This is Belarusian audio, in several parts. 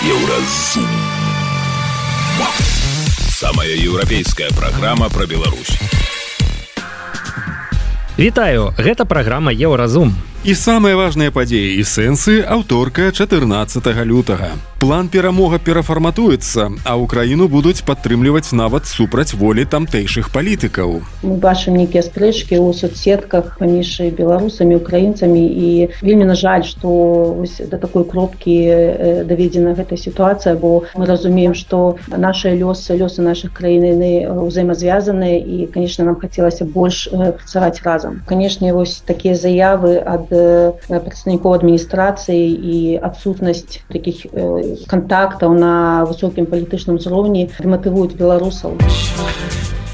Еўразум. Самая еўрапейская праграма пра Беларусь. Вітаю, гэта праграма Еўразум. І самыя важныя падзеі і сэнсы аўторка 14 лютага. План перамога перафарматуецца, а ўкраіну будуць падтрымліваць нават супраць волі тамтэйшых палітыкаў. Мы бачым нейкія спрэчкі ў соцсетках паміж беларусамі, украінцамі, і вельмі на жаль, што да такой кропкі даведзена гэтая сітуацыя, бо мы разумеем, што нашыя лёсы нашых краін ўзаемазвязаныя, і, канешне, нам хацелася больш працаваць разам. Канешне, вось такія заявы ад прадстаўнікоў адміністрацыі і адсутнасць такіх кантактаў на высокім палітычным узроўні дэматывуюць беларусаў.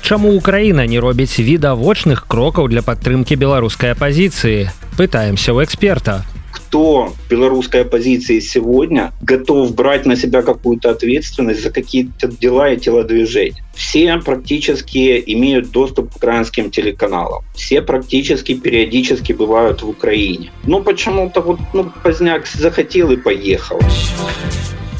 Чаму Украіна не робіць відавочных крокаў для падтрымкі беларускай апазіцыі? Пытаемся ў эксперта. Кто в белорусской оппозиции сегодня готов брать на себя какую-то ответственность за какие-то дела и телодвижения? Все практически имеют доступ к украинским телеканалам. Все практически периодически бывают в Украине. Но почему-то поздняк захотел и поехал.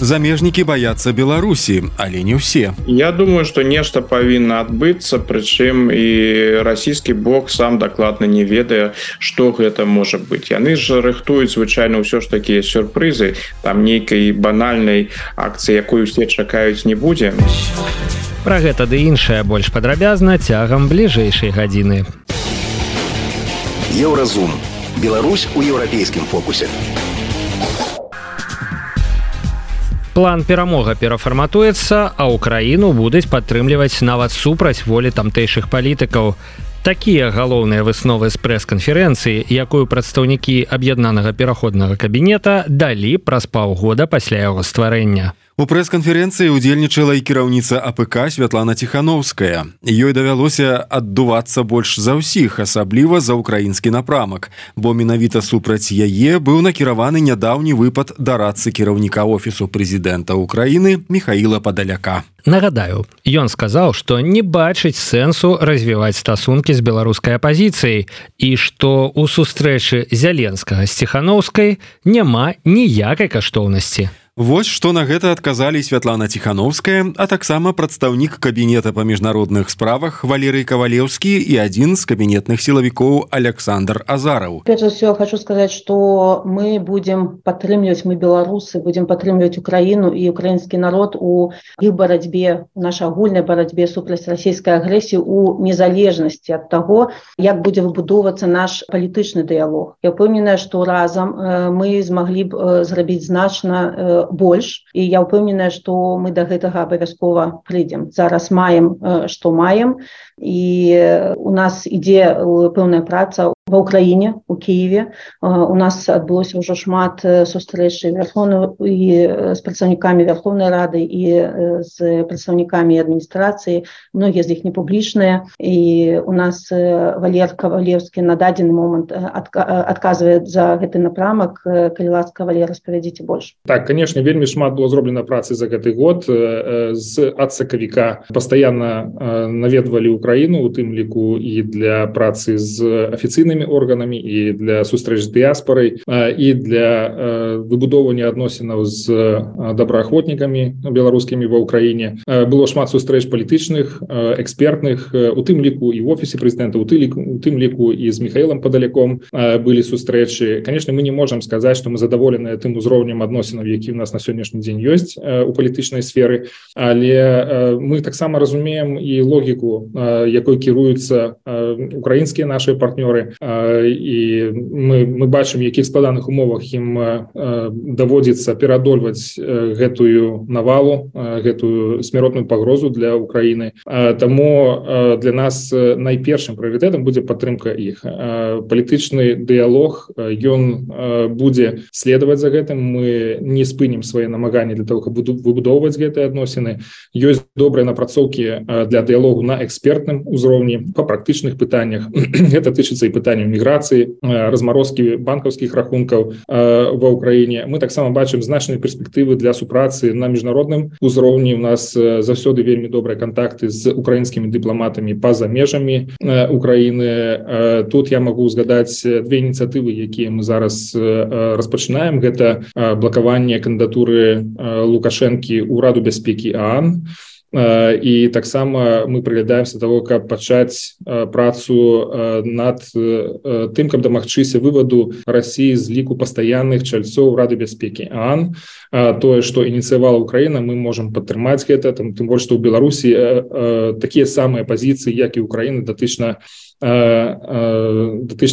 Замежнікі баяцца Беларусі, але не ўсе. Я думаю, што нешта павінна адбыцца, прычым і расійскі бок сам дакладна не ведае, што гэта можа быць. Яны ж рыхтуюць звычайна ўсё ж такія сюрпрызы, там нейкай банальнай акцыі, якую усе чакаюць, не будзе. Пра гэта ды іншае больш падрабязна цягам бліжэйшай гадзіны. Еўразум. Беларусь у еўрапейскім фокусе. План перамога перафарматуецца, а ўкраіну будуць падтрымліваць нават супраць волі тамтэйшых палітыкаў. Такія галоўныя высновы з прэс-канферэнцыі, якую прадстаўнікі аб'яднанага пераходнага кабінета далі праз паўгода пасля яго стварэння. У прэс-канферэнцыі удзельнічала і кіраўніца АПК Святлана Ціханаўская. Ёй давялося аддувацца больш за ўсіх, асабліва за ўкраінскі напрамак, бо менавіта супраць яе быў накіраваны нядаўні выпад дарадцы кіраўніка офісу прэзідэнта Украіны Міхаіла Падаляка. Нагадаю, ён сказаў, што не бачыць сэнсу развіваць стасункі з беларускай апазіцыяй і што ў сустрэчы Зяленскага з Ціханаўскай няма ніякай каштоўнасці. Вось што на гэта адказалі Святлана Ціханаўская, а таксама прадстаўнік кабінета па міжнародных справах Валерый Кавалеўскі і адзін з кабінетных сілавікоў Александр Азараў. Прежде всего, хочу сказать, что мы будем поддерживать, мы белорусы, будем поддерживать Украину и украинский народ у их борьбе, в нашей огульной борьбе супраць российской агрессии, у незалежности от того, как будет выбудовываться наш политичный диалог. Я упевнена, что разом мы смогли б зрабіць значна больш, і я ўпэўненая, што мы да гэтага абавязкова прыйдзем. Зараз маем, што маем, і у нас ідзе пэўная праца ва ўкраіне, у Киеве. У нас адбылося ўжо шмат сустрэч з прадстаўнікамі Верховнай Рады і з прадстаўнікамі адміністрацыі. Многія з іх не публічныя, і у нас Валер Кавалеўскі на дадзены момант адказвае за гэты напрамак. Калі ласка, Валер, распавядзіце больш. Так, конечно, вельмі шмат было зроблена працы за гэты год. Ад сакавіка пастаянна наведвалі Украіну, у тым ліку і для працы з афіцыйнымі органамі, і для сустрэч з дыяспорай, і для выбудоўвання адносінаў з добраахвотнікамі беларускімі ва ўкраіне. Было шмат сустрэч палітычных, экспертных, у тым ліку і в офісе прэзідэнта, у тым ліку і з Міхаілам Падаляком былі сустрэчы. Конечно, мы не можам сказаць, што мы задаволеныя тым узроўнем адносінаў, які у нас на сённяшні дзень ёсць у палітычнай сферы, але мы таксама разумеем і логіку, якой кіруюцца украінскія нашыя партнёры, і мы бачым, якіх складаных умовах ім даводзіцца пераадольваць гэтую навалу, гэтую смяротную пагрозу для Украіны. Таму для нас найпершым прыоритетам будзе падтрымка іх. Палітычны дыялог, ён будзе следаваць за гэтым. Мы не спынім свае намаганні для того, каб выбудоўваць гэтыя адносіны. Ёсць добрыя напрацоўкі для дыялогу на экспертным узроўні па практычных пытаннях. Гэта тычыцца і пытання пытанняў міграцыі, размарозкі банкаўскіх рахункаў ва ўкраіне. Мы таксама бачым значныя перспектывы для супрацы на міжнародным узроўні. У нас заўсёды вельмі добрыя кантакты з украінскімі дыпламатамі па-за межамі Украіны. Тут я магу згадаць две ініцыятывы, якія мы зараз распачынаем. Гэта блакаванне кандыдатуры Лукашэнкі ў Раду бяспекі ААН. І таксама мы прыглядаемся да таго, каб пачаць працу над тым, каб дамагчыся вываду Расіі з ліку пастаянных чальцоў Рады бяспекі ААН. Тое, што ініцыявала Украіна, мы можам падтрымаць гэта, тым больш, што ў Беларусі такія самыя пазіцыі, як і Украіны, датычна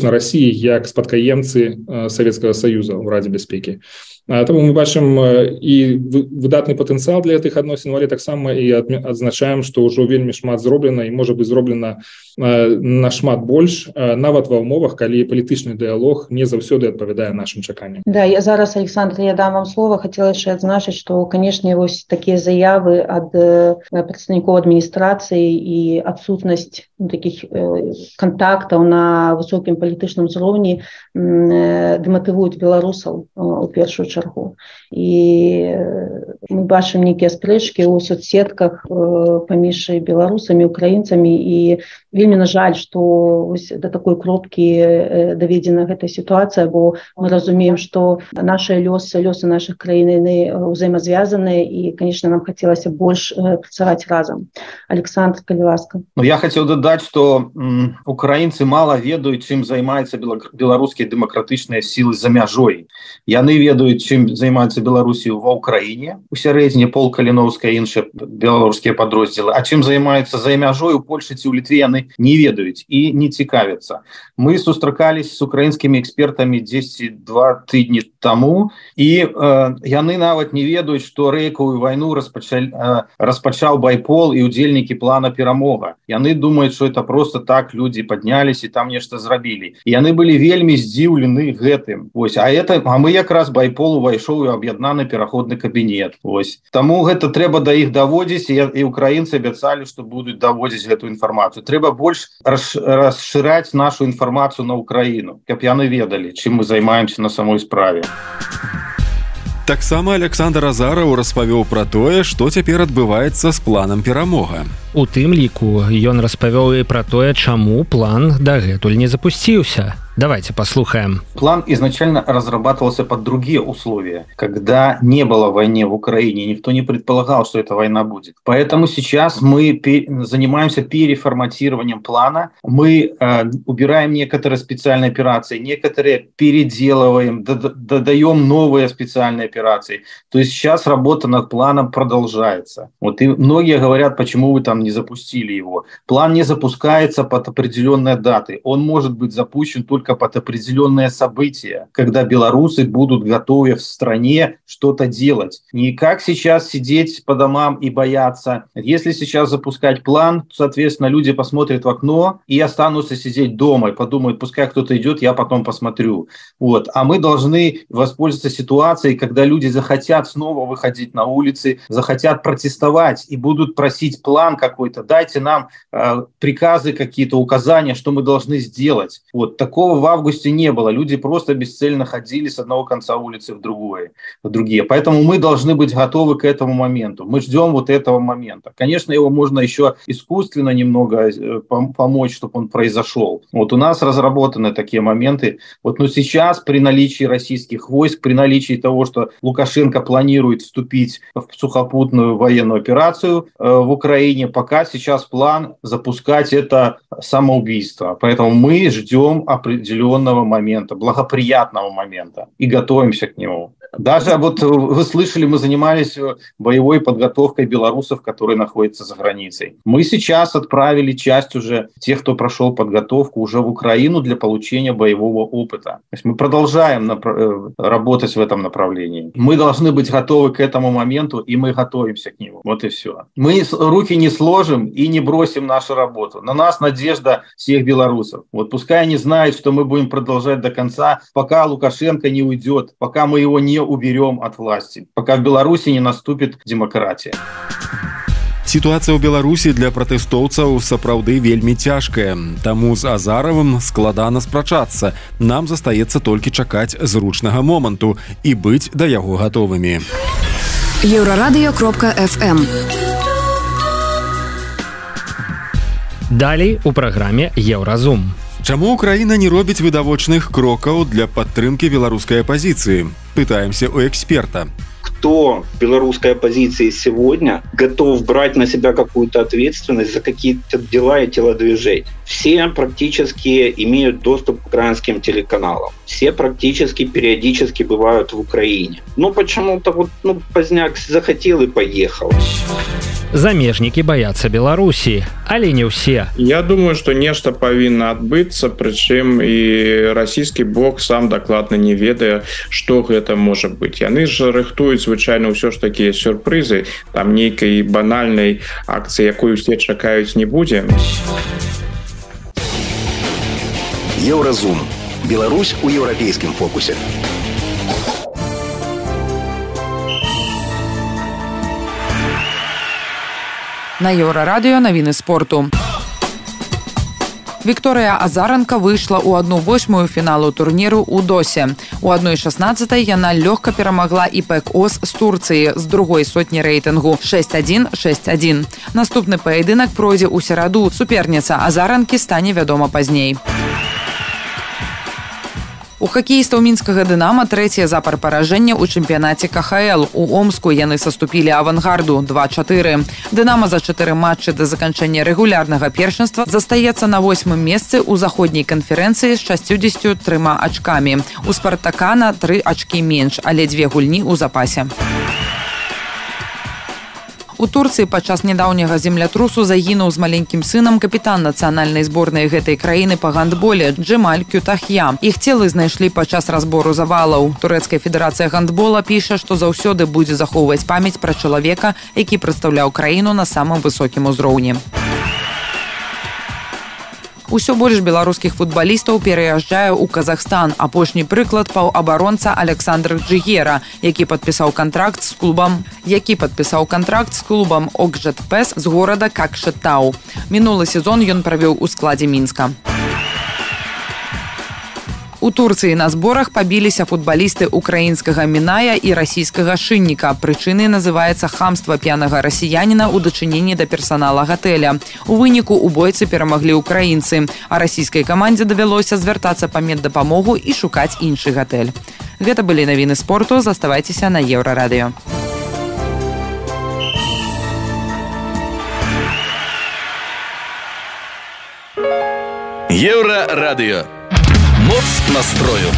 Расіі, як спадкаемцы Савецкага Саюза ў Радзе бяспекі. Таму мы бачым і выдатны патэнцыял для гэтых адносін, але таксама і адзначаем, што ўжо вельмі шмат зроблена і можа быць зроблена нашмат больш, нават ва ўмовах, калі палітычны дыялог не заўсёды адпавядае нашым чаканням. Да, я зараз, Александр, я дам вам слово. Хотела яшчэ адзначыць, што, канешне, вось такія заявы ад прадстаўнікоў адміністрацыі і адсутнасць такіх контактаў на высокім палітычным узроўні дэматывуюць беларусаў у першую чаргу. І мы бачым нейкія спрэчкі ў соцсетках паміж беларусамі, украінцамі, і вельмі на жаль, што да такой кропкі даведзена гэтая сітуацыя, бо мы разумеем, што нашыя лёсы нашых краін ўзаемазвязаныя, і, канешне, нам хацелася больш працаваць разам. Александр, калі ласка. Я хацеў дадаць, што украінцы мала ведаюць, чым займаюцца беларускія дэмакратычныя сілы за мяжой. Яны ведаюць, чым займаецца Беларусію ва ўкраіне, у сярэдзіне Пол Каліноўская і іншыя беларускія падроздзелы, а чым займаюцца за мяжой у Польшы ці ў Літве, яны не ведаюць і не цікавяцца. Мы сустракались з украінскімі экспертамі 10-2 тыдні таму, і яны нават не ведаюць, што рэйкавую вайну распачаў байпол і ўдзельнікі плана «Перамога». Яны думаюць, што это просто так людзі паднялись і там нешта зрабілі. І яны былі вельмі здзіўлены гэтым. А мы якраз байпол увайшоў у аб'яднаны пераходны кабінет. Таму гэта трэба да іх даводзіць, і украінцы абяцалі, што будуць даводзіць гэту інфармацыю. Трэба больш расшыраць нашу інфармацыю на Украіну, каб яны ведалі, чым мы займаемся на самой справе. Таксама Александр Азараў распавёў пра тое, што цяпер адбываецца з планам «Перамога». У тым ліку ён распавёў і пра тое, чаму план дагэтуль не запусціўся. Давайте послушаем. План изначально разрабатывался под другие условия, когда не было войны в Украине, никто не предполагал, что эта война будет. Поэтому сейчас мы занимаемся переформатированием плана, мы убираем некоторые специальные операции, некоторые переделываем, додаем новые специальные операции. То есть сейчас работа над планом продолжается. И многие говорят, почему вы там не запустили его. План не запускается под определенные даты, он может быть запущен только под определенные события, когда белорусы будут готовы в стране что-то делать. Не как сейчас сидеть по домам и бояться. Если сейчас запускать план, то, соответственно, люди посмотрят в окно и останутся сидеть дома и подумают, пускай кто-то идет, я потом посмотрю. А мы должны воспользоваться ситуацией, когда люди захотят снова выходить на улицы, захотят протестовать и будут просить план какой-то, дайте нам приказы какие-то, указания, что мы должны сделать. Такого в августе не было. Люди просто бесцельно ходили с одного конца улицы в другие. Поэтому мы должны быть готовы к этому моменту. Мы ждем этого момента. Конечно, его можно еще искусственно немного помочь, чтобы он произошел. У нас разработаны такие моменты. Но сейчас при наличии российских войск, при наличии того, что Лукашенко планирует вступить в сухопутную военную операцию в Украине, пока сейчас план запускать это самоубийство. Поэтому мы ждем определенного момента, благоприятного момента и готовимся к нему. Даже вы слышали, мы занимались боевой подготовкой белорусов, которые находятся за границей. Мы сейчас отправили часть уже тех, кто прошел подготовку, уже в Украину для получения боевого опыта. То есть мы продолжаем работать в этом направлении. Мы должны быть готовы к этому моменту, и мы готовимся к нему. И все. Мы руки не сложим и не бросим нашу работу. На нас надежда всех белорусов. Пускай они знают, что мы будем продолжать до конца, пока Лукашенко не уйдет, пока мы его не уберем от власти, пока в Беларуси не наступит демократия. Сітуацыя ў Беларусі для пратэстоўцаў сапраўды вельмі цяжкая. Таму з Азаровым складана спрачацца. Нам застаецца толькі чакаць зручнага моманту і быць да яго гатовымі. Еврорадио.FM. Далей у праграме Еўразум. Чаму Украіна не робіць відавочных крокаў для падтрымкі беларускай апозіцыі? Пытаемся у эксперта. Кто в белорусской оппозиции сегодня готов брать на себя какую-то ответственность за какие-то дела и телодвижения? Все практически имеют доступ к украинским телеканалам. Все практически периодически бывают в Украине. Но почему-то поздняк захотел и поехал. Замежнікі баяцца Беларусі, але не ўсе. Я думаю, што нешта павінна адбыцца, прычым і расійскі бок сам дакладна не ведае, што гэта можа быць. Яны ж рыхтуюць звычайна ўсё ж такія сюрпрызы, там нейкай банальнай акцыі, якую усе чакаюць, не будзе. Еўразум. Беларусь у еўрапейскім фокусе. На Еўрарадыё навіны спорту. Вікторыя Азаранка выйшла ў 1/8 фіналу турніру ў Досе. У 1/16 яна лёгка перамагла ИПЕК-ОС з Турцыі з другой сотні рэйтынгу 6-1, 6-1. Наступны паядынак пройдзе ў сераду. Суперніца Азаранкі стане вядома пазней. У хакеістаў мінскага «Дынама» трэцяе запар паражэння ў чэмпіянаце КХЛ. У Омску яны саступілі «Авангарду» 2-4. «Дынама» за 4 матчы да заканчэння рэгулярнага першынства застаецца на 8-м месцы ў заходняй канферэнцыі з 63 ачкамі. У «Спартака» на 3 ачкі менш, але 2 гульні ў запасе. У Турцыі падчас нядаўняга землятрусу загінуў з маленькім сынам капітан нацыянальнай зборнай гэтай краіны па гандболе Джемаль Кютахья. Іх целы знайшлі падчас разбору завалаў. Турэцкая федэрацыя гандбола піша, што заўсёды будзе захоўваць памяць пра чалавека, які прадстаўляў краіну на самым высокім узроўні. Усё больш беларускіх футбалістаў пераязджае ў Казахстан. Апошні прыклад паўабаронца Александр Джигера, які падпісаў кантракт з клубам Окжетпес з горада Какшетау. Мінулы сезон ён правёў у складзе Мінска. У Турцыі на зборах пабіліся футбалісты украінскага Міная і расійскага Шынніка. Прычынай называецца хамства п'янага расіяніна ў дачыненні да персанала гатэля. У выніку ў бойцы перамаглі украінцы, а расійскай камандзе давялося звяртацца па меддапамогу і шукаць іншы гатэль. Гэта былі навіны спорту. Заставайцеся на Еўрарадыё. Еўрарадыё. Моц настрою.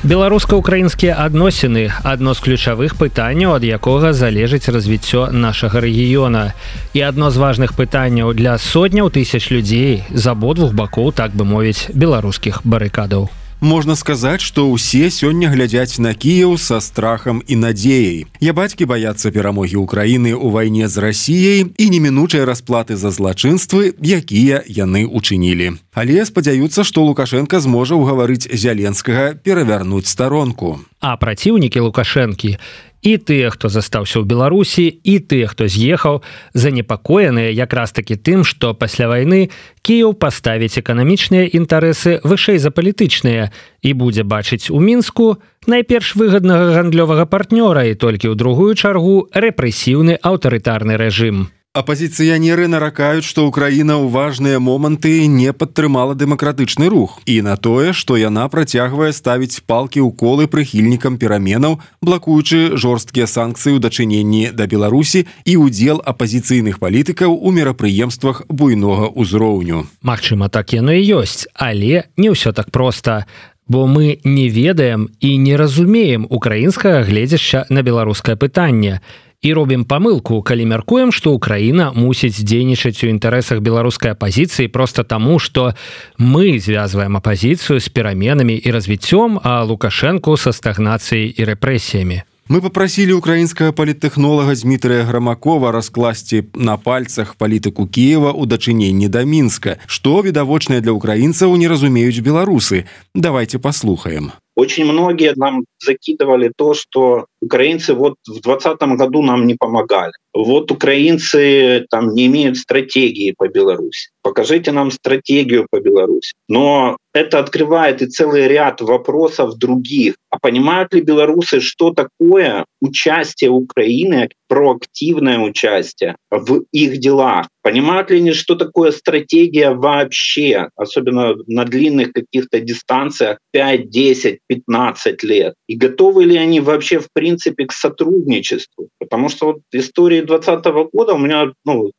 Беларуска-украінскія адносіны – адно з ключавых пытанняў, ад якога залежыць развіццё нашага рэгіёна. І адно з важных пытанняў для сотняў тысяч людзей з абодвух бакоў, так бы мовіць, беларускіх барыкадаў. Можна сказаць, што ўсе сёння глядзяць на Кіеў са страхам і надзеяй. Ябацькі баяцца перамогі Украіны ў вайне з Расіяй і немінучай расплаты за злачынствы, якія яны учынілі. Але спадзяюцца, што Лукашенка зможа ўгаварыць Зяленскага перавярнуць старонку. А праціўнікі Лукашэнкі і тыя, хто застаўся ў Беларусі, і тыя, хто з'ехаў, занепакоеныя якраз такі тым, што пасля вайны Кіеў паставіць эканамічныя інтарэсы вышэй за палітычныя і будзе бачыць у Мінску найперш выгаднага гандлёвага партнёра і толькі ў другую чаргу рэпрэсіўны аўтарытарны рэжым. Апазіцыянеры наракаюць, што Украіна ў важныя моманты не падтрымала дэмакратычны рух і на тое, што яна працягвае ставіць палкі ў колы прыхільнікам пераменаў, блакуючы жорсткія санкцыі ў дачыненні да Беларусі і ўдзел апазіцыйных палітыкаў у мерапрыемствах буйнога ўзроўню. Магчыма, так яно і ёсць, але не ўсё так проста. Бо мы не ведаем і не разумеем украінскага гледзяшча на беларускае пытанне. І робім памылку, калі мяркуем, што Украіна мусіць дзейнічаць у інтарэсах беларускай апазіцыі проста таму, што мы звязваем апазіцыю з пераменамі і развіццём, а Лукашэнку са стагнацыяй і рэпрэсіямі. Мы попросили украинского политтехнолога Дмитрия Громакова раскласці на пальцах палітыку Киева ў дачыненні да Мінска, што відавочнае для украінцаў не разумеюць беларусы. Давайте послухаем. Очень многие нам закидывали то, что украинцы вот в 2020 году нам не помогали. Вот украинцы там не имеют стратегии по Беларуси. Покажите нам стратегию по Беларуси. Но это открывает и целый ряд вопросов других. А понимают ли белорусы, что такое участие Украины, проактивное участие в их делах? Понимают ли они, что такое стратегия вообще, особенно на длинных каких-то дистанциях 5, 10, 15 лет? И готовы ли они вообще в принципе к сотрудничеству? Потому что вот истории 2020 года у меня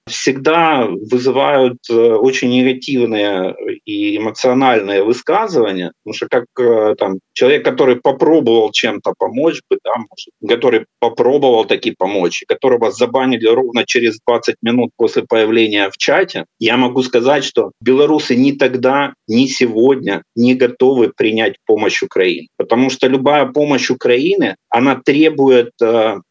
всегда вызывают очень негативные и эмоциональные высказывания, потому что как там человек, который попробовал чем-то помочь, который попробовал таки помочь, и которого забанили ровно через 20 минут после появления в чате, я могу сказать, что белорусы ни тогда, ни сегодня не готовы принять помощь Украины. Потому что любая помощь Украины, она требует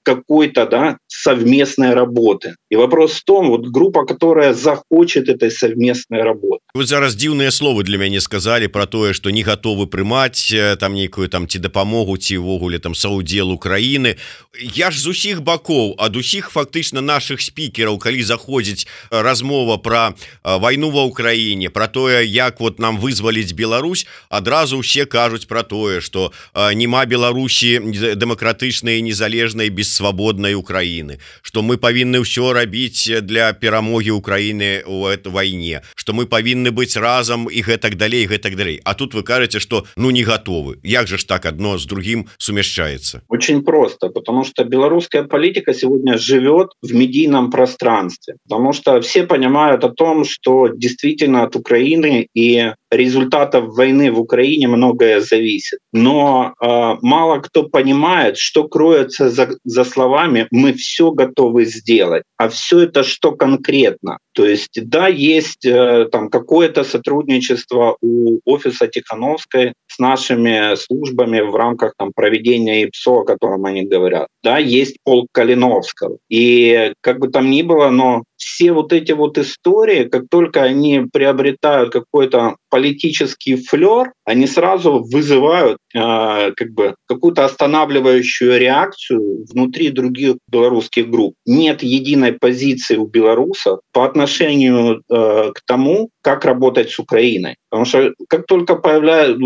какой-то совместной работы. И вопрос в том, вот группа, которая захочет этой совместной работы. Вы зараз дзіўныя словы для мяне сказали про тое, что не готовы прымаць там нейкую там ці дапамогу, ці ўвогуле там саўдзел Украины. Я ж з усіх бакоў, ад усіх фактычна наших спікераў, калі заходзіць размова про вайну ва Украіне, про тое, як вот нам вызваліць Беларусь, адразу ўсе кажуць про тое, что нема Беларусі дэмакратычнай, незалежнай, бессвабоднай Украины, что мы павінны ўсё рабіць для перамогі Украины ў этой вайне, что мы павінны быць разам і гэтак далей, гэтак далей. А тут вы кажаце, что не готовы. Як же ж так одно с другим сумяшчается? Очень просто, потому что белорусская политика сегодня живет в медийном пространстве, потому что все понимают о том, что действительно от Украины и результатов войны в Украине многое зависит. Но мало кто понимает, что кроется за словами «мы все готовы сделать». А все это что конкретно? То есть, да, есть там какое-то сотрудничество у офиса Тихановской с нашими службами в рамках там проведения ИПСО, о котором они говорят. Да, есть полк Калиновского. И как бы там ни было, но все вот эти вот истории, как только они приобретают какой-то политический флёр, они сразу вызывают какую-то останавливающую реакцию внутри других белорусских групп. Нет единой позиции у белорусов по отношению к тому, как работать с Украиной. Потому что как только появляется,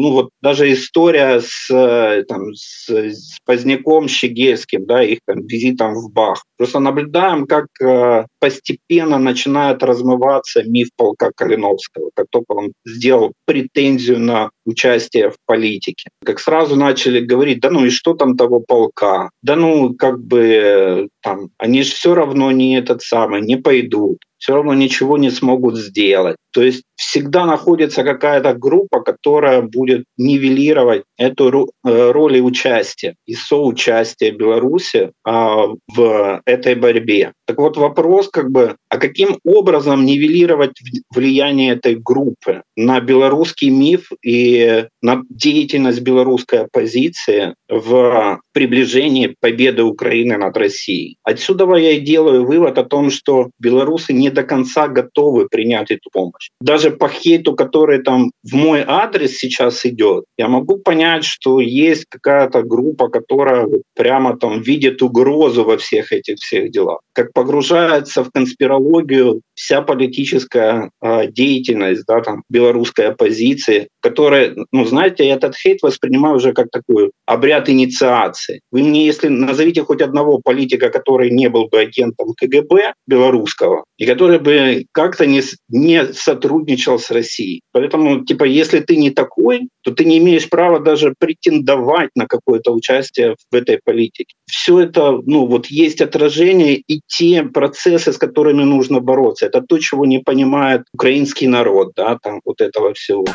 даже история с Поздняком, Щегельским, да, их там визитом в Бах, просто наблюдаем, как постепенно начинает размываться миф полка Калиновского, как только он сделал претензию на участие в политике. Как сразу начали говорить, да ну и что там того полка? Да ну они же все равно не пойдут, все равно ничего не смогут сделать. То есть всегда находится какая-то группа, которая будет нивелировать эту роль и участие, и соучастие Беларуси в этой борьбе. Так вот вопрос, а каким образом нивелировать влияние этой группы на белорусский миф и на деятельность белорусской оппозиции в приближении победы Украины над Россией? Отсюда я и делаю вывод о том, что белорусы не до конца готовы принять эту помощь. Даже по хейту, который там в мой адрес сейчас идет, я могу понять, что есть какая-то группа, которая прямо там видит угрозу во всех этих делах. Как погружается в конспирологию вся политическая деятельность, да, там, белорусской оппозиции, которая, знаете, я этот хейт воспринимаю уже как такой обряд инициации. Вы мне, если назовите хоть одного политика, который не был бы агентом КГБ белорусского, и который бы как-то не сотрудничал с Россией. Поэтому, если ты не такой, то ты не имеешь права даже претендовать на какое-то участие в этой политике. Все это, есть отражение и те процессы, с которыми нужно бороться. Это то, чего не понимает украинский народ, да, там вот этого всего.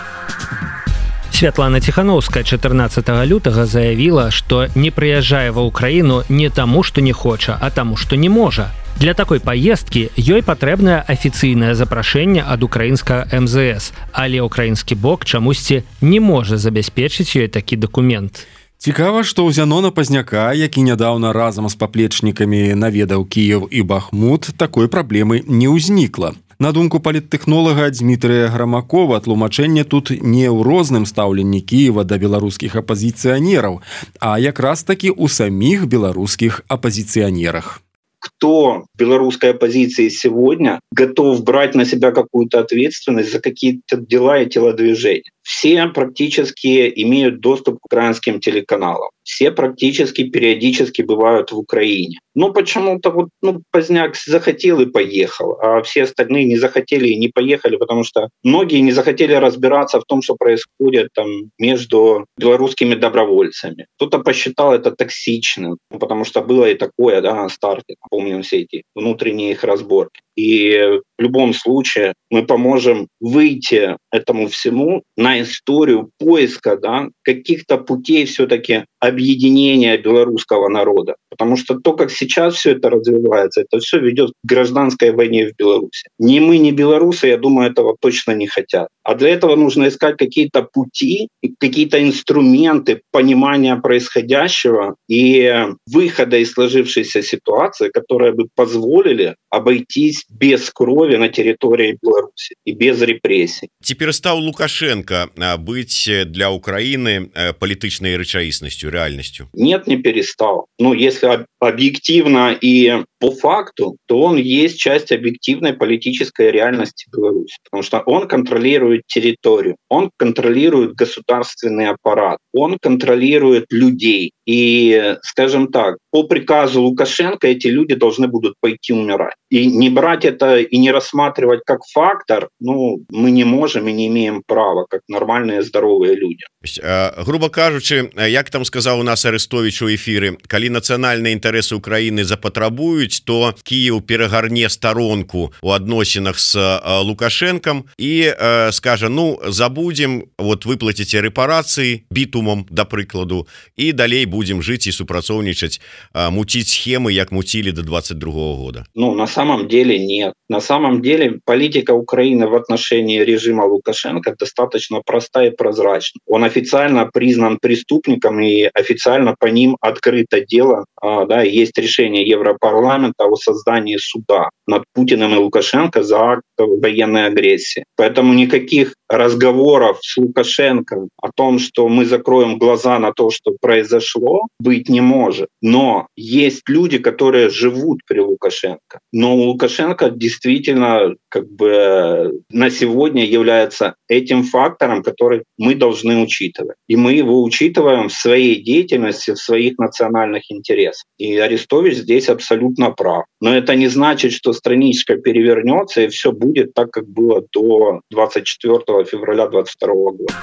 Святлана Тихановская 14 лютага заявила, што не прыязджае ва ўкраіну не таму, што не хоча, а таму, што не можа. Для такой паездкі ёй патрэбнае афіцыйнае запрашэнне ад украінскага МЗС, але ўкраінскі бок чамусьці не можа забяспечыць ёй такі дакумент. Цікава, што ў Зянона Пазняка, які нядаўна разам з паплечнікамі наведаў Кіеў і Бахмут, такой праблемы не ўзнікла. На думку паліттэхнолага Дмітрыя Грамакова, тлумачэнне тут не ў розным стаўленні Кіева да беларускіх апазіцыянераў, а якраз таки у самих белорусских оппозиционерах. Кто в белорусской оппозиции сегодня готов брать на себя какую-то ответственность за какие-то дела и телодвижения? Все практически имеют доступ к украинским телеканалам. Все практически периодически бывают в Украине. Но почему-то Поздняк захотел и поехал, а все остальные не захотели и не поехали, потому что многие не захотели разбираться в том, что происходит там между белорусскими добровольцами. Кто-то посчитал это токсичным, потому что было и такое, на старте. Помним все эти внутренние их разборки. И в любом случае мы поможем выйти этому всему на историю поиска каких-то путей все-таки объединения белорусского народа. Потому что то, как сейчас все это развивается, это все ведет к гражданской войне в Беларуси. Ни мы, ни белорусы, я думаю, этого точно не хотят. А для этого нужно искать какие-то пути, какие-то инструменты понимания происходящего и выхода из сложившейся ситуации, которые бы позволили обойтись без крови на территории Беларуси и без репрессий. Теперь стал Лукашенко быть для Украины политичной рычаисностью, реальностью? Нет, не перестал. Если объективно и по факту, то он есть часть объективной политической реальности Беларуси, потому что он контролирует территорию, он контролирует государственный аппарат, он контролирует людей. И, скажем так, по приказу Лукашенко эти люди должны будут пойти умирать. И не брать это и не рассматривать как фактор, мы не можем и не имеем права, как нормальные здоровые люди. Грубо кажучи, як там сказал у нас Арестович у эфиры, коли национальные интересы Украины запатрабуют, то Киев перегарне сторонку у адносинах с Лукашенком и скажет, забудем, выплатите репарации битумом, до прикладу, и далей будем жить и супрацоўничать, мутить схемы, як мутили до 22 года. На самом деле нет. На самом деле политика Украины в отношении режима Лукашенко достаточно проста и прозрачна. Он официально признан преступником и официально по ним открыто дело. Есть решение Европарламента о создании суда над Путиным и Лукашенко за акт военной агрессии. Поэтому никаких разговоров с Лукашенко о том, что мы закроем глаза на то, что произошло, быть не может. Но есть люди, которые живут при Лукашенко. Но Лукашенко действительно на сегодня является этим фактором, который мы должны учитывать. И мы его учитываем в своей деятельности, в своих национальных интересах. И Арестович здесь абсолютно прав. Но это не значит, что страничка перевернется и все будет так, как было до 24 февраля 2022 года.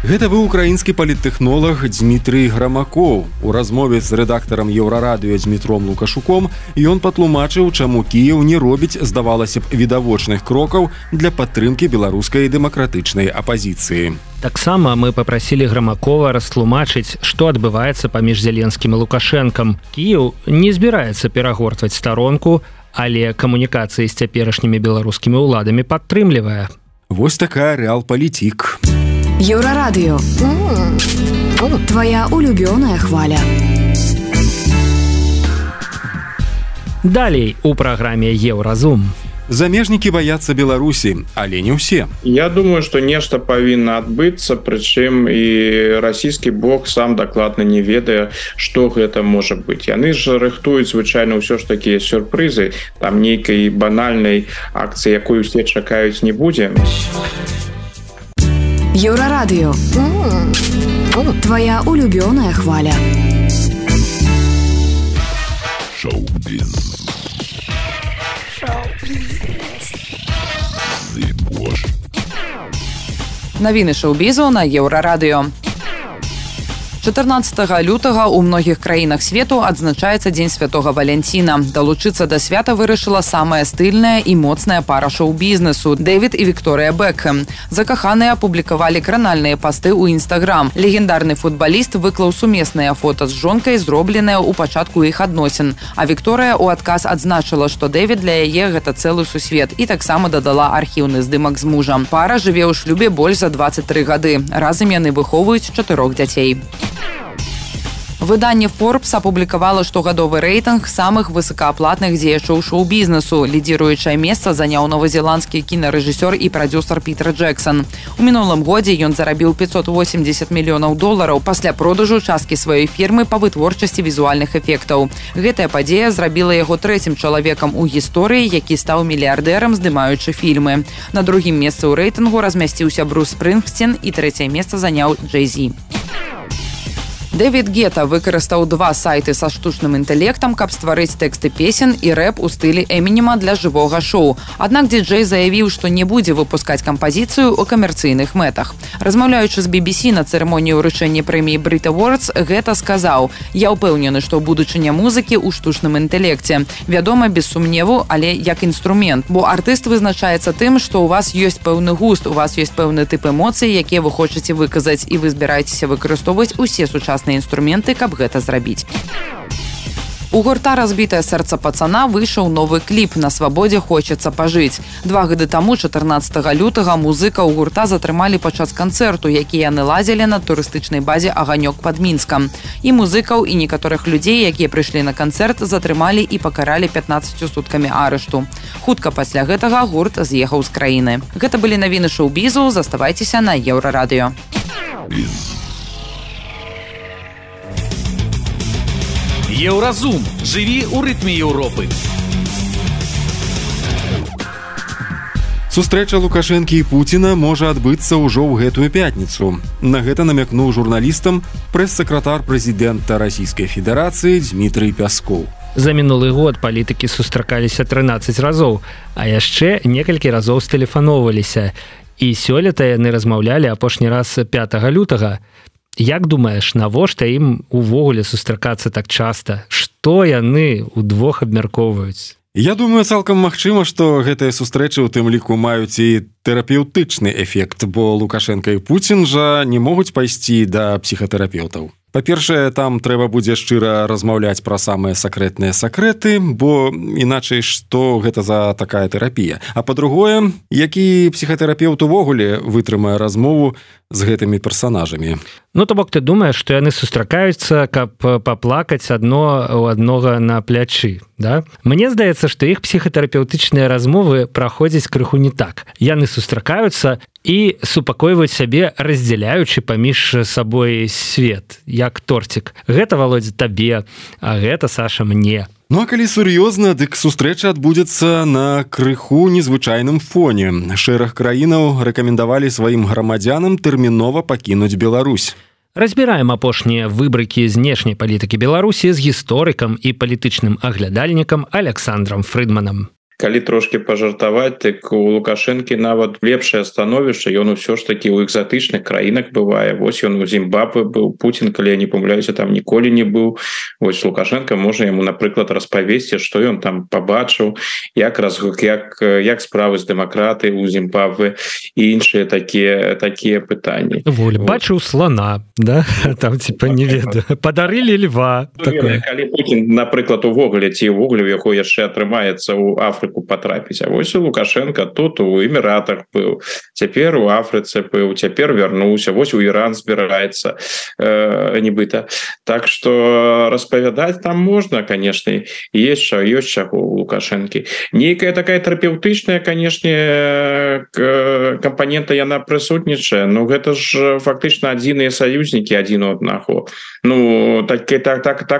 Гэта быў украінскі паліттэхнолаг Дмітрый Грамакоў. У размове з рэдактарам Еўрарадыё Дмітром Лукашуком ён патлумачыў, чаму Кіеў не робіць, здавалася б, відавочных крокаў для падтрымкі беларускай дэмакратычнай апазіцыі. Таксама мы папрасілі Грамакова растлумачыць, што адбываецца паміж Зеленскім і Лукашэнкам. Кіеў не збіраецца перагортваць старонку, але камунікацыі з цяперашнімі беларускімі ўладамі падтрымлівае. Вось такая рэалпалітик. Еўрарадыё. Твоя улюбёная хваля. Далей у праграме Еўразум. Замежнікі баяцца Беларусі, але не ўсе. Я думаю, што нешта павінна адбыцца, прычым і расійскі бок сам дакладна не ведае, што гэта можа быць. Яны ж рыхтуюць звычайна ўсё ж такія сюрпрызы, там нейкай банальнай акцыі, якую усе чакаюць, не будзе. Еўрарадыё. Твоя улюбёная хваля. Шоу-біз. Навіны шоу-бізу на Еўрарадыё. 14 лютага ў многіх краінах свету адзначаецца Дзень Святога Валянціна. Далучыцца да свята вырашыла самая стыльная і моцная пара шоу-бізнесу – Дэвід і Вікторыя Бекхэм. Закаханыя апублікавалі кранальныя пасты ў Інстаграм. Легендарны футбаліст выклаў сумесныя фота з жонкай, зробленыя ў пачатку іх адносін. А Вікторыя ў адказ адзначыла, што Дэвід для яе гэта цэлы сусвет і таксама дадала архіўны здымак з мужам. Пара жыве ў шлюбе больш за 23 гады. Разам яны выхоўваюць 4 дзяцей. Выданне Forbes апублікавала штогадовы рэйтынг самых высокааплатных дзеячоў шоу-бізнесу. Лідзіруючае месца заняў новазеландскі кінарэжысёр і прадзюсар Пітер Джексон. У мінулым годзе ён зарабіў $580 мільёнаў пасля продажу часткі сваёй фірмы па вытворчасці візуальных эфектаў. Гэтая падзея зрабіла яго трэцім чалавекам у гісторыі, які стаў мільярдэрам, здымаючы фільмы. На другім месцы ў рэйтынгу размясціўся Брус Спрынгсцін і трэцяе месца заняў Джэй-Зі. Дэвід Гета выкарыстаў 2 сайты са штучным інтэлектам, каб стварыць тэксты песен і рэп у стылі Эмінема для жывога шоу. Аднак дыджэй заявіў, што не будзе выпускаць кампазіцыю ў камерцыйных мэтах. Размаўляючы з BBC на цырымоніі ўручэння прэміі Brit Awards, Гета сказаў: «Я ўпэўнены, што будучыня музыкі ў штучным інтэлекце. Вядома, без сумневу, але як інструмент. Бо артыст вызначаецца тым, што ў вас ёсць пэўны густ, у вас ёсць пэўны тып эмоцый, якія вы хочаце выказаць, і вы збіраецеся выкарыстоўваць усе сучасныя інструменты, каб гэта зрабіць». У гурта «Разбітае сэрца пацана» выйшаў новы кліп «На свабодзе хочацца пажыць». 2 гады таму, 14 лютага, музыкаў гурта затрымалі падчас канцэрту, які яны ладзілі на турыстычнай базе «Аганёк» пад Мінскам. І музыкаў, і некаторых людзей, якія прыйшлі на канцэрт, затрымалі і пакаралі 15 суткамі арышту. Хутка пасля гэтага гурт з'ехаў з краіны. Гэта былі навіны шоу-бізу. Заставайцеся на Еўрарадыё. Еўразум. Жыві ў рытме Еўропы. Сустрэча Лукашэнкі і Пуціна можа адбыцца ўжо ў гэтую пятніцу. На гэта намякнуў журналістам прэс-сакратар прэзідэнта Расійскай Федэрацыі Дмітрый Пяскоў. За мінулы год палітыкі сустракаліся 13 разоў, а яшчэ некалькі разоў стэлефаноўваліся. І сёлета яны размаўлялі апошні раз 5 лютага. Як думаеш, навошта ім увогуле сустракацца так часта? Што яны ўдвох абмяркоўваюць? Я думаю, цалкам магчыма, што гэтыя сустрэчы ў тым ліку маюць і тэрапеўтычны эфект, бо Лукашенко і Пуцін жа не могуць пайсці да псіхатэрапеўтаў. Па-першае, там трэба будзе шчыра размаўляць пра самыя сакрэтныя сакрэты, бо іначай што гэта за такая тэрапія. А па-другое, які псіхатэрапеўт увогуле вытрымае размову з гэтымі персанажамі. Ну, то бок ты думаеш, што яны сустракаюцца, каб паплакаць адно ў аднога на плячы, да? Мне здаецца, што іх псіхатэрапеўтычныя размовы праходзяць крыху не так. Яны сустракаюцца і супакойваюць сябе, раздзяляючы паміж сабой свет, як торцік. Гэта, Володя, табе, а гэта, Саша, мне. Ну а калі сур'ёзна, дык сустрэча адбудзецца на крыху незвычайным фоне. Шэраг краінаў рэкамендавалі сваім грамадзянам тэрмінова пакінуць Беларусь. Разбіраем апошнія выбрыкі знешняй палітыкі Беларусі з гісторыкам і палітычным аглядальнікам Александром Фрыдманам. Калі трошки пажартаваць, так у Лукашэнкі нават лепшае становішча, ён усё ж такі ў экзатычных краінах бывае. Вось ён у Зімбабве быў, Пуцін, калі я не памыляюся, там ніколі не быў. Вось Лукашенко можа яму, напрыклад, распавесці, што ён там пабачыў, як справы з дэмакратыяй у Зімбабве і іншыя такія пытанні. Воль, бачыў слона, да? Там типа не ведаю. Падарылі льва. Калі Пуцін, напрыклад, увогуле ці ўвогуле у яго яшчэ атрымаецца ў Афрыку потрапіць. А вось у Лукашенко тут у Эміратах быў, цяпер у Афрыцы быў, цяпер вярнуўся, вось у Іран збіраецца нібыта. Так што распавядаць там можна, канешне, ёсць чаго у Лукашэнкі. Нейкая такая тэрапеўтычная, канешне, кампанента яна прысутнічае, но гэта ж фактычна адзіныя саюзнікі адзін у аднаго. Ну, так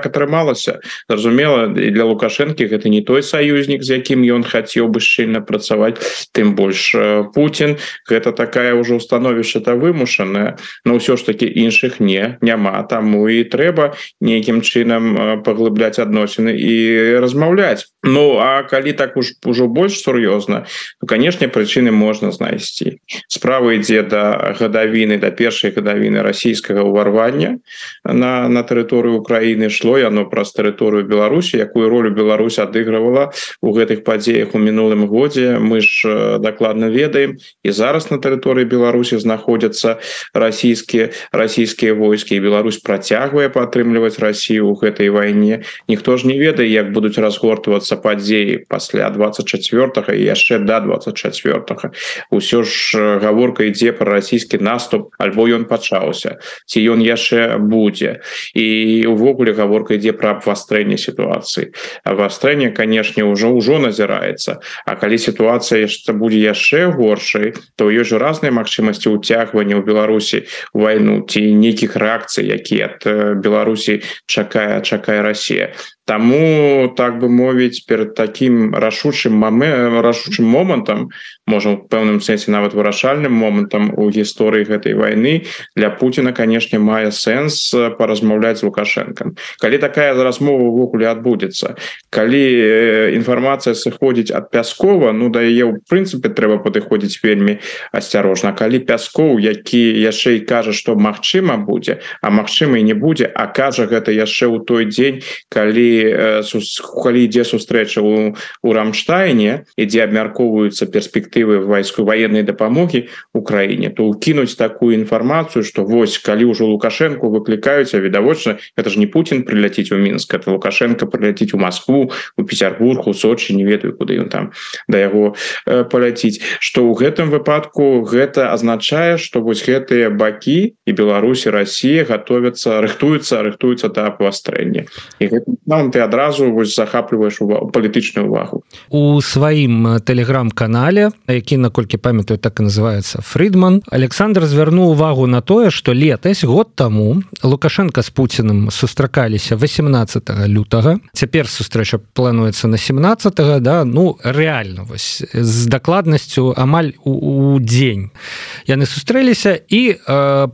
атрымалася. Зразумела, для Лукашэнкі гэта не той саюзнік, з якім ён хацеў бы шчыльна працаваць, тым больш Пуцін, гэта такая ўжо становішча-то вымушаная, но ўсё ж таки іншых няма, таму і трэба нейкім чынам паглыбляць адносіны і размаўляць. Ну, а калі так ужо больш сур'ёзна, то, канешне, прычыны можна знайсці. Справа ідзе да гадавіны, да першай гадавіны расійскага ўварвання на тэрыторыю Украіны. Шло яно праз тэрыторыю Беларусі, якую ролю Беларусь адыгрывала у гэтых падзеях у мінулым годзе. Мы ж дакладна ведаем, і зараз на тэрыторыі Беларусі знаходзяцца расійскія войскі, і Беларусь працягвае падтрымліваць Расію ў гэтай вайне. Ніхто ж не ведае, як будуць разгортвацца развівацца падзеі пасля 24 і яшчэ до 24 усё ж гаворка ідзе про расійскі наступ, альбо ён пачаўся, ці ён яшчэ будзе, і увогуле гаворка ідзе про абвастрэнне сітуацыі. Абвастрэнне, канешне, ўжо назіраецца, а калі сітуацыя будзе яшчэ горшай, то ёсць жа разныя магчымасці ўцягвання ў Беларусі у вайну ці нейкіх рэакцый, якія ад Беларусі чакае Расія. Таму, так бы мовіць, перад такім рашучым момантам, можа, у пэўным сэнсе нават вырашальным момантам у гісторыі гэтай вайны, для Пуціна, канешне, мае сэнс паразмаўляць з Лукашэнкам. Калі такая размова ўвогуле адбудзецца, калі інфармацыя сыходзіць ад Пяскова, ну, да яе, ў прынцыпе, трэба падыходзіць вельмі асцярожна. Калі Пяскоў, які яшчэ і кажа, што магчыма будзе, а магчыма і не будзе, а кажа гэта яшчэ ў той дзень, калі ідзе сустрэча у Рамштайне, ідзе абмяркоўваюцца перспектывы военнай дапамогі Украіне, то ўкінуць такую інфармацыю, што вось, калі ўжо Лукашэнку выклікаюць, а відавочна, гэта ж не Путін прыляціць у Мінск, это Лукашенко прыляціць у Москву, у Петербург, у Сочи, не ведаю, куды ён там да яго паляціць, што ў гэтым выпадку гэта азначае, што вось гэтыя бакі і Беларусь і Расія рыхтуюцца да абвастрэння. І гэтым ты адразу захапліваеш палітычную увагу. У сваім тэлеграм-канале, які, наколькі памятаю, так і называецца Фридман, Александр звярнуў увагу на тое, што летась, год таму, Лукашенко з Пуціным сустракаліся 18 лютага. Цяпер сустрэча плануецца на 17, да, ну, рэальна, вось, з дакладнасцю амаль у дзень. Яны сустрэліся, і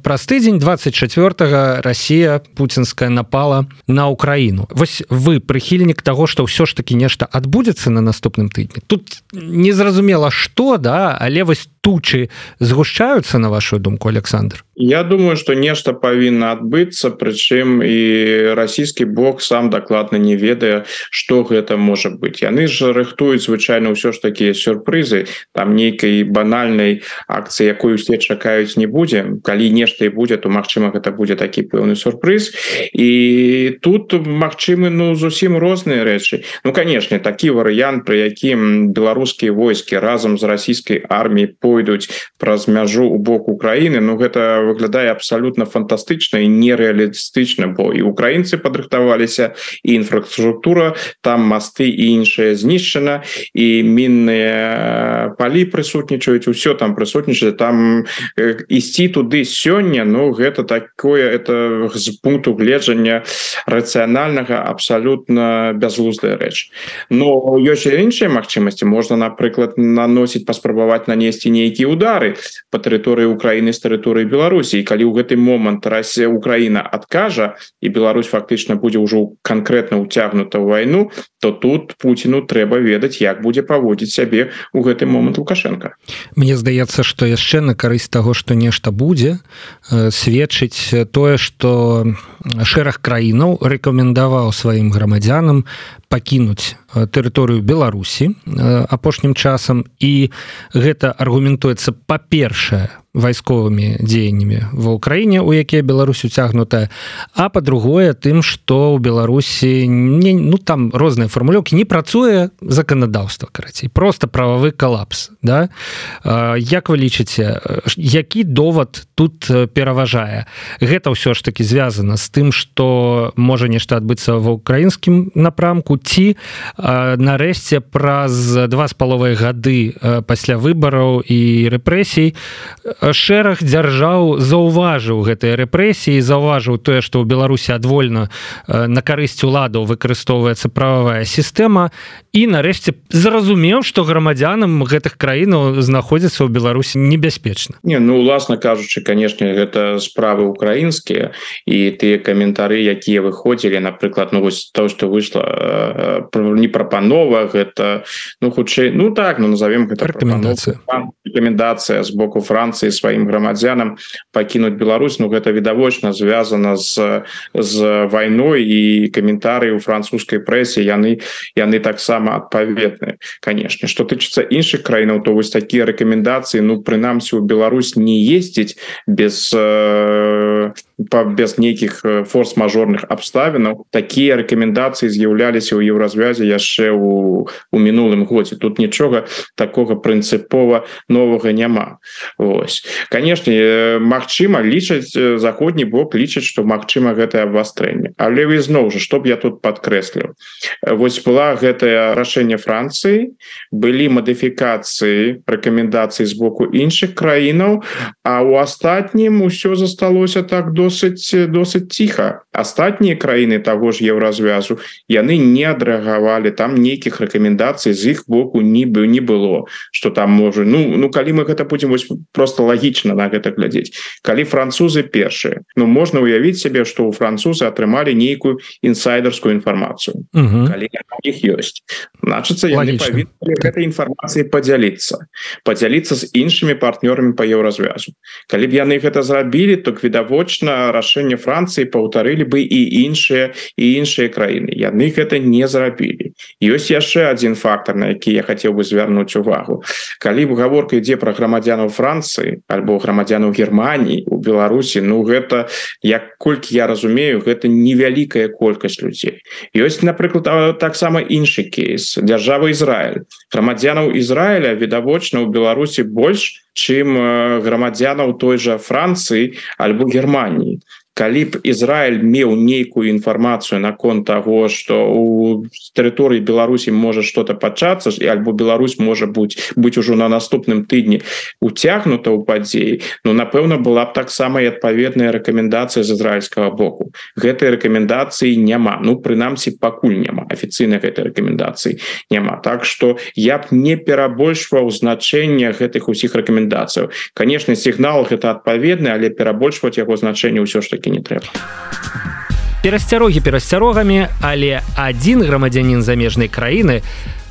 праз тыдзень 24 Расія пуцінская напала на Украіну. Вось вы прыхільнік таго, што ўсё ж таки нешта адбудзецца на наступным тыдні. Тут незразумела што, да, але вось тучы згушчаюцца, на вашу думку, Александр? Я думаю, што нешта павінна адбыцца, прычым і расійскі бок сам дакладна не ведае, што гэта можа быць. Яны ж рыхтуюць звычайна ўсё ж такія сюрпрызы, там нейкай банальнай акцыі, якой усе чакаюць, не будзе. Калі нешта і будзе, то магчыма гэта будзе такі пэўны сюрпрыз. І тут магчымы, ну, зусім розныя рэчы. Ну, канешне, такі варыянт, пры якім беларускія войскі разам з расійскай арміяй пойдуць праз мяжу ў бок Украіны, ну, гэта выглядае абсалютна фантастычна і нереалістычна, бо і украінцы падрыхтаваліся, і інфраструктура, там масты і іншае знішчана, і мінныя палі прысутнічаюць, усё там прысутнічае, там ісці туды сёння, ну, гэта такое, это з пункту гледжання рацыянальнага абсалютна бязглуздая рэч. Но ёсць і іншыя магчымасці, можна, напрыклад, паспрабаваць нанесці нейкія удары па тэрыторыі Украіны з тэрыторыі Беларусі, і калі ў гэты момант Украіна адкажа і Беларусь фактычна будзе ўжо канкрэтна ўцягнута ў вайну, то тут Пуціну трэба ведаць, як будзе паводзіць сябе ў гэты момант Лукашенко. Мне здаецца, што яшчэ на карысць таго, што нешта будзе, сведчыць тое, што шэраг краінаў рэкамендаваў сваім грамадзянам пакінуць тэрыторыю Беларусі апошнім часам, і гэта аргументуецца, па-першае, вайсковымі дзеяннямі ва ўкраіне, у якія Беларусь уцягнутая, а па-другое, тым, што ў Беларусі ну, там розныя фармулёўкі, не працуе заканадаўства, карацей, просто прававы калапс, да? Як вы лічыце, які довад тут пераважае? Гэта ўсё ж таки звязана з тым, што можа нешта адбыцца ва ўкраінскім напрамку, ці нарэшце праз 2,5 гады пасля выбараў і рэпрэсій шэраг дзяржаў заўважыў гэтыя рэпрэсіі, заўважыў тое, што ў Беларусі адвольна на карысць уладаў выкарыстоўваецца прававая сістэма, і нарэшце зразумеў, што грамадзянам гэтых краінаў знаходзіцца ў Беларусі небяспечна. Не, ну, уласна кажучы, канешне, гэта справы украінскія, і тыя каментары, якія выходзілі, напрыклад, ну, вось то, што выйшла не прапанова, гэта, ну, хутчэй, ну, так, ну, назовем гэта рэкамендацыя з боку Францыі сваім грамадзянам пакінуць Беларусь, ну, гэта відавочна звязана з вайной, і каментары ў французскай прэсе, яны таксама адпаведныя, канешне. Што тычыцца іншых краінаў, то вось такія рэкамендацыі, ну, прынамсі, у Беларусь не ездзіць без без нейкіх форс-мажорных абставінаў такія рэкамендацыі з'яўляліся ў еўразвязе яшчэ у мінулым годзе. Тут нічога такога прынцыпова новага няма. Вось, канешне, магчыма, лічаць заходні бок лічаць, што магчыма гэтае абвастрэнне, але ізноў жа, што б я тут падкрэсліў, вось была гэтае рашэнне Францыі, былі мадыфікацыі рэкамендацый з боку іншых краінаў, а ў астатнім усё засталося так досыць ціха. Астатнія краіны таго ж еўразвязу яны не адрэагавалі, там нейкіх рэкамендацый з іх боку не было, што там можа, ну калі мы гэта будзем вось просто лагічна на гэта глядзець, калі французы першыя, можна ўявіць сябе, што ў французы атрымалі нейкую інсайдерскую інфармацыю, калі іх ёсць, значыцца яны павінны гэтай інфармацыяй падзяліцца з іншымі партнёрамі па еўразвязу. Калі б яны гэта зрабілі, то відавочна рашэнне Францыі паўтарылі бы і іншыя краіны. Яны гэта не зрабілі. Ёсць яшчэ адзін фактор, на які я хацеў бы звярнуць увагу. Калі гаворка ідзе пра грамадзянаў Францыі альбо грамадзянаў Германіі у Беларусі, гэта, як колькі я разумею, гэта невялікая колькасць людзей. Ёсць, напрыклад, таксама іншы кейс, дзяржава Ізраіль. Грамадзянаў Ізраіля відавочна ў Беларусі больш, чым грамадзянаў той жа Францыі альбо Германіі. Калі б Ізраіль меў нейкую інфармацыю наконт таго, што ў тэрыторыі Беларусі можа што-то пачацца, альбо Беларусь можа быць ужо на наступным тыдні уцягнута ў падзеі, напэўна, была б таксама і адпаведная рэкамендацыя з ізраільскага боку. Гэтай рэкамендацыі няма, прынамсі, пакуль няма, афіцыйна гэтай рэкамендацыі няма. Так што я б не перабольшваў значэнне гэтых усіх рэкамендацыяў. Канешне, сігнал гэта адпаведны, але перабольшваць яго значэнне ўсё ж такі не трэба. Перасцярогі перасцярогамі, але адзін грамадзянін замежнай краіны,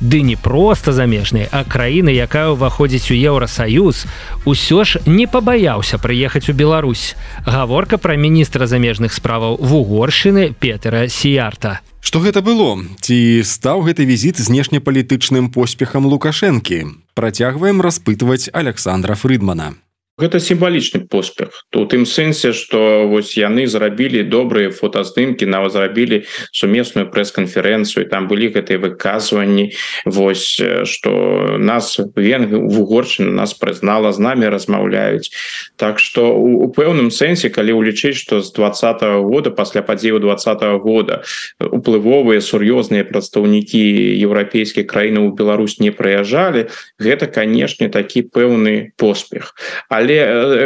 ды не проста замежнай, а краіны, якая ўваходзіць у Еўрасаюз, усё ж не пабаяўся прыехаць у Беларусь. Гаворка пра міністра замежных справаў Вугоршчыны Петера Сіярта. Што гэта было? Ці стаў гэты візіт знешнепалітычным поспехам Лукашэнкі? Працягваем распытваць Александра Фрыдмана. Гэта сімвалічны поспех. У тым сэнсе, што вось яны зрабілі добрыя фотаздымкі, нават зрабілі сумесную прэс-канферэнцыю, там былі гэтыя выказванні, вось, што нас Вугоршчына нас прызнала, з намі размаўляюць. Так што у пэўным сэнсе, калі ўлічыць, што з 2020 года, пасля падзеяў 2020 года, уплывовыя сур'ёзныя прадстаўнікі еўрапейскіх краінаў у Беларусь не прыязджалі, гэта, канешне, такі пэўны поспех. Але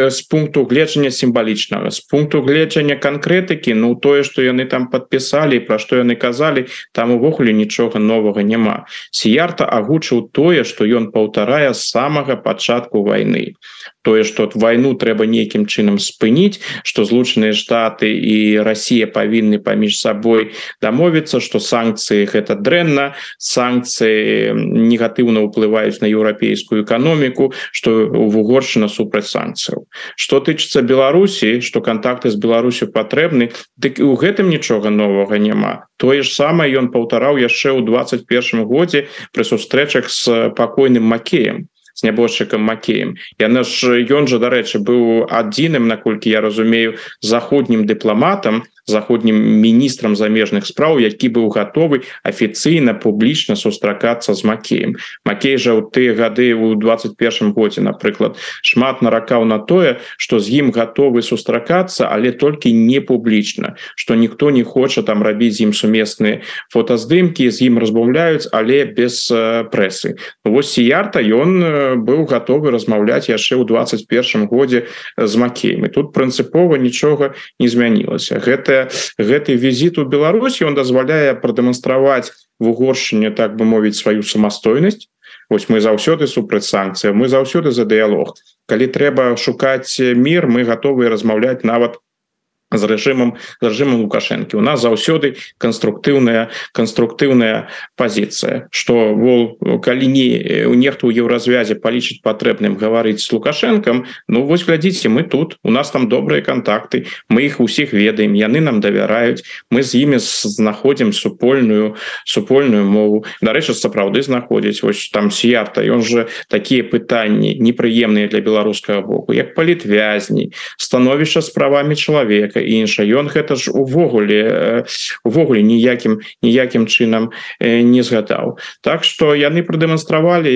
з пункту гледжання сімвалічнага, з пункту гледжання канкрэтыкі, тое, што яны там падпісалі, пра што яны казалі, там увогуле нічога новага няма. Сіярта агучыў тое, што ён паўтарае з самага пачатку вайны. Тое, што вайну трэба нейкім чынам спыніць, што Злучаныя Штаты і Расія павінны паміж сабой дамовіцца, што санкцыі гэта дрэнна, санкцыі негатыўна ўплываюць на еўрапейскую эканоміку, што Вугоршчына супраць санкцыяў. Што тычыцца Беларусі, што кантакты з Беларусю патрэбны, дык і ў гэтым нічога новага няма. Тое ж самае ён паўтараў яшчэ ў 2021 годзе пры сустрэчах з пакойным Макеем, з нябожчыкам Макеем. Ён жа, дарэчы, быў адзіным, наколькі я разумею, заходнім дыпламатам, заходнім міністрам замежных спраў, які быў гатовы афіцыйна, публічна сустракацца з Макеем. Макей жа ў тыя гады ў 2021 годзе, напрыклад, шмат наракаў на тое, што з ім гатовы сустракацца, але толькі не публічна, што ніхто не хоча там рабіць з ім сумесныя фотаздымкі, з ім размаўляюць, але без прэсы. Вось Сіярта, ён быў гатовы размаўляць яшчэ ў 2021 годзе з Макеем. І тут прынцыпова нічога не змянілася. Гэты візіт у Беларусь, ён дазваляе прадэманстраваць Вугоршчыне, так бы мовіць, сваю самастойнасць. Вось мы заўсёды супраць санкцыяў, мы заўсёды за дыялог. Калі трэба шукаць мір, мы гатовыя размаўляць нават з рэжымам Лукашэнкі. У нас заўсёды канструктыўная пазіцыя, што калі нехта ў еўразвязе палічыць патрэбным гаварыць з Лукашэнкам, вось глядзіце, мы тут, у нас там добрыя кантакты, мы іх усіх ведаем, яны нам давяраюць, мы з імі знаходзім супольную мову. Дарэчы, сапраўды знаходзіць. Вось там Сіярта, ён жа такія пытанні непрыемныя для беларускага боку, як палітвязні, становішча з правамі чалавека іншае. Ён гэта ж увогуле ніякім чынам не згадаў. Так што яны прадэманстравалі,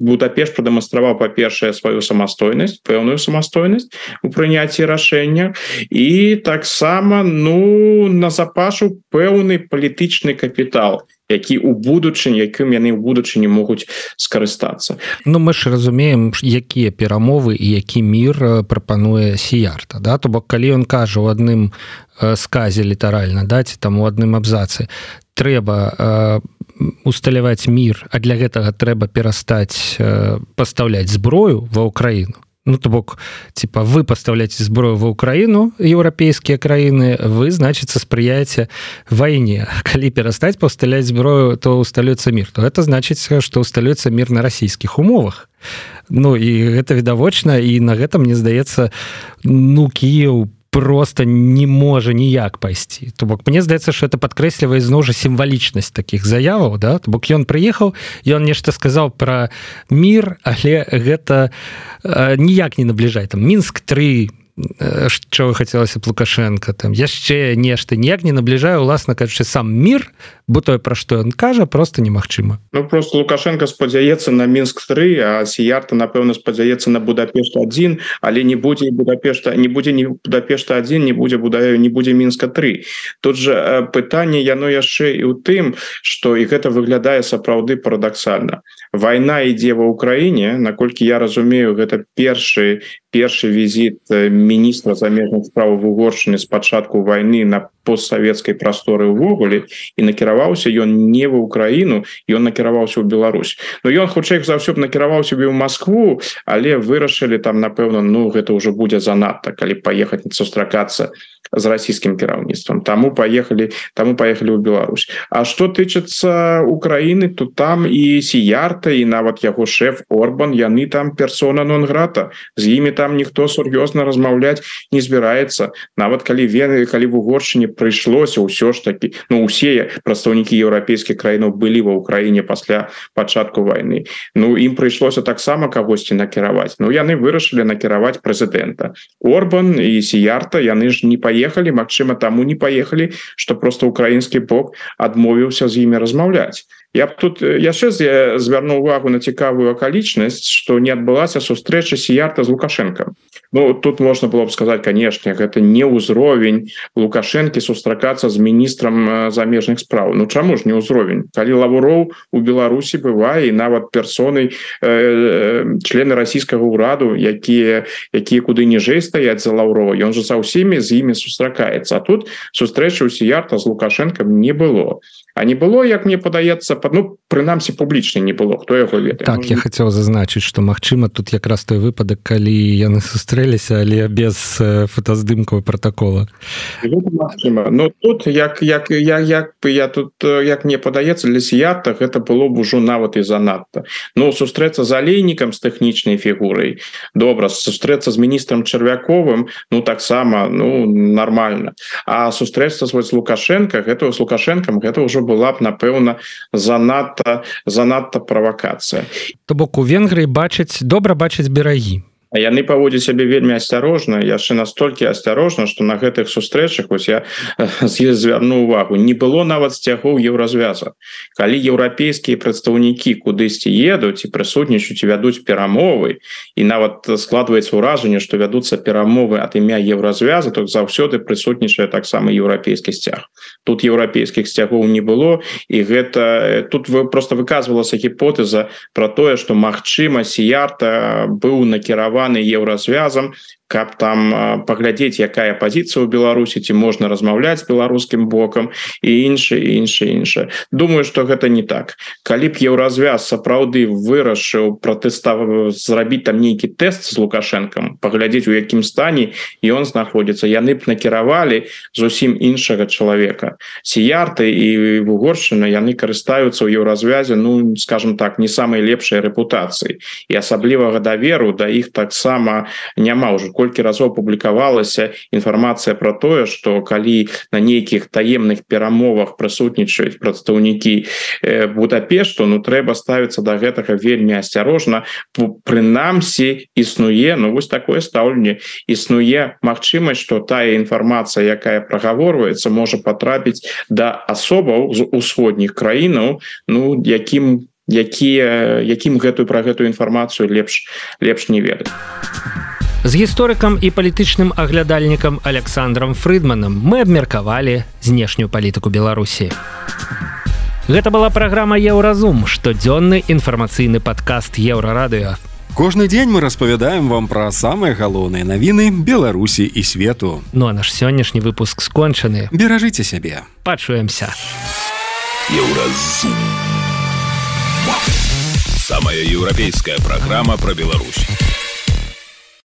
Будапешт прадэманстраваў, па-першае, сваю самастойнасць, пэўную самастойнасць у прыняцці рашэння, і таксама назапашу пэўны палітычны капітал, якім яны ў будучыні могуць скарыстацца. Мы ж разумеем, якія перамовы і які мір прапануе Сіярта, да? То бок калі ён кажа ў адным сказе літаральна, да, ці там у адным абзацы, трэба усталяваць мір, а для гэтага трэба перастаць пастаўляць зброю ва Ўкраіну. То бок, вы пастаўляеце зброю ва Ўкраіну, еўрапейскія краіны, вы, значыцца, спрыяеце вайне. Калі перастаць пастаўляць зброю, то усталюецца мір. То гэта значыць, што усталюецца мір на расійскіх умовах. І гэта відавочна, і на гэта, мне здаецца, Кіеў просто не можа ніяк пайсці. То бок, мне здаецца, што это падкрэслівае зноў жа сімвалічнасць такіх заяваў, да? То бок, ён прыехаў, ён нешта сказаў пра мір, але гэта ніяк не набліжае. Там Мінск-3, чого хацелася б Лукашенка, там яшчэ нешта, ніяк не набліжае, уласна кажучы, сам мір, бо тое, пра што ён кажа, просто немагчыма. Просто Лукашенко спадзяецца на Мінск-3, а Сіярта, напэўна, спадзяецца на Будапешт-1, але не будзе Будапешта-1, не будзе Мінска-3. Тут жа пытанне, яно яшчэ і ў тым, што і гэта выглядае сапраўды парадаксальна. Вайна ідзе ва Ўкраіне, наколькі я разумею, гэта першы візіт міністра замежных справ Угоршчыны з пачатку вайны на постсавецкай прасторы ўвогуле, і накіраваўся ён не ва Ўкраіну, ён накіраваўся ў Беларусь. Ён хутчэй за ўсё б накіраваўся ў Маскву, але вырашылі там, напэўна, гэта ўжо будзе занадта, калі паехаць сустракацца з расійскім кіраўніцтвам. Таму паехалі ў Беларусь. А што тычыцца Украіны, то там і Сіярта, і нават яго шэф Орбан, яны там персона нон-грата. З імі там ніхто сур'ёзна размаўляць не збіраецца. Нават калі в Угоршчыне прыйшлося ўсё ж такі, усе прадстаўнікі еўрапейскіх краінаў былі ва Ўкраіне пасля пачатку вайны. Ім прыйшлося таксама кагосьці накіраваць. Яны вырашылі накіраваць прэзідэнта. Орбан і Сіярта, яны ж не паехалі, магчыма, таму не паехалі, што проста украінскі бок адмовіўся з імі размаўляць. Я б тут яшчэ звярнуў увагу на цікавую акалічнасць, што не адбылася сустрэча Сіярта з Лукашэнкам. Тут можна было б сказаць, канешне, гэта не ўзровень Лукашэнкі сустракацца з міністрам замежных спраў. Чаму ж не ўзровень? Калі Лаўроў у Беларусі бывае, і нават персонай, члены расійскага ўраду, якія куды ніжэй стаяць за Лаўрова, ён жа са ўсімі з імі сустракаецца. А тут сустрэчы ў Сіярта з Лукашэнкам не было. А не было, як мне падаецца, прынамсі публічна не было, хто яго ведае. Так, я хацеў зазначыць, што магчыма тут якраз той выпадак, калі яны сустрэліся, але без фотаздымкаў пратакола. Магчыма. Тут як мне падаецца, для Сіярта гэта было б ужо нават і занадта. Сустрэцца з алейнікам, з тэхнічнай фігурай, добра, сустрэцца з міністрам Чарвяковым, таксама, нармальна. А сустрэцца з Лукашэнкам, гэта ўжо была б, напэўна, занадта правакацыя. То бок у Венгрыі добра бачаць берагі. А яны паводзяць сябе вельмі асцярожна, яшчэ настолькі асцярожна, што на гэтых сустрэчах, я звярну увагу, не было нават сцягоў еўразвяза. Калі еўрапейскія прадстаўнікі кудысьці едуць і прысутнічаюць, вядуць перамовы, і нават складваецца ўражанне, што вядуцца перамовы ад імя еўразвяза, то заўсёды прысутнічае таксама еўрапейскі сцяг. Тут еўрапейскіх сцягоў не было, і гэта тут проста выказвалася гіпотэза пра тое, што магчыма Сіярта быў накіраваны еўразвязам, каб там паглядзець, якая пазіцыя ў Беларусі, ці можна размаўляць з беларускім бокам, і іншае. Думаю, што гэта не так. Калі б еўразвяз сапраўды вырашыў зрабіць там нейкі тэст з Лукашэнкам, паглядзець, у якім стане ён знаходзіцца, яны б накіравалі зусім іншага чалавека. Сіярта і Угоршчына, яны карыстаюцца ў еўразвязе, скажем так, не самай лепшай рэпутацыі. І асаблівага даверу да іх таксама няма ўжо. колькі разоў публікавалася інфармацыя про тое, што калі на нейкіх таемных перамовах прысутнічаюць прадстаўнікі Будапешту, ну трэба ставіцца да гэтага вельмі асцярожна. Прынамсі існуе, ну вось такое стаўленне, існуе магчымасць, што тая інфармацыя, якая прагаворваецца, можа патрапіць да асобаў з усходніх краінаў, ну якім пра гэтую інфармацыю лепш не ведаць. З гісторыкам і палітычным аглядальнікам Александром Фрыдманам мы абмеркавалі знешнюю палітыку Беларусі. Гэта была праграма «Еўразум», штодзённы інфармацыйны падкаст Еўрарадыё. Кожны дзень мы распавядаем вам пра самыя галоўныя навіны Беларусі і свету. Ну а наш сённяшні выпуск скончаны. Беражыце сябе. Пачуемся. Еўразум. Самая еўрапейская праграма пра Беларусь.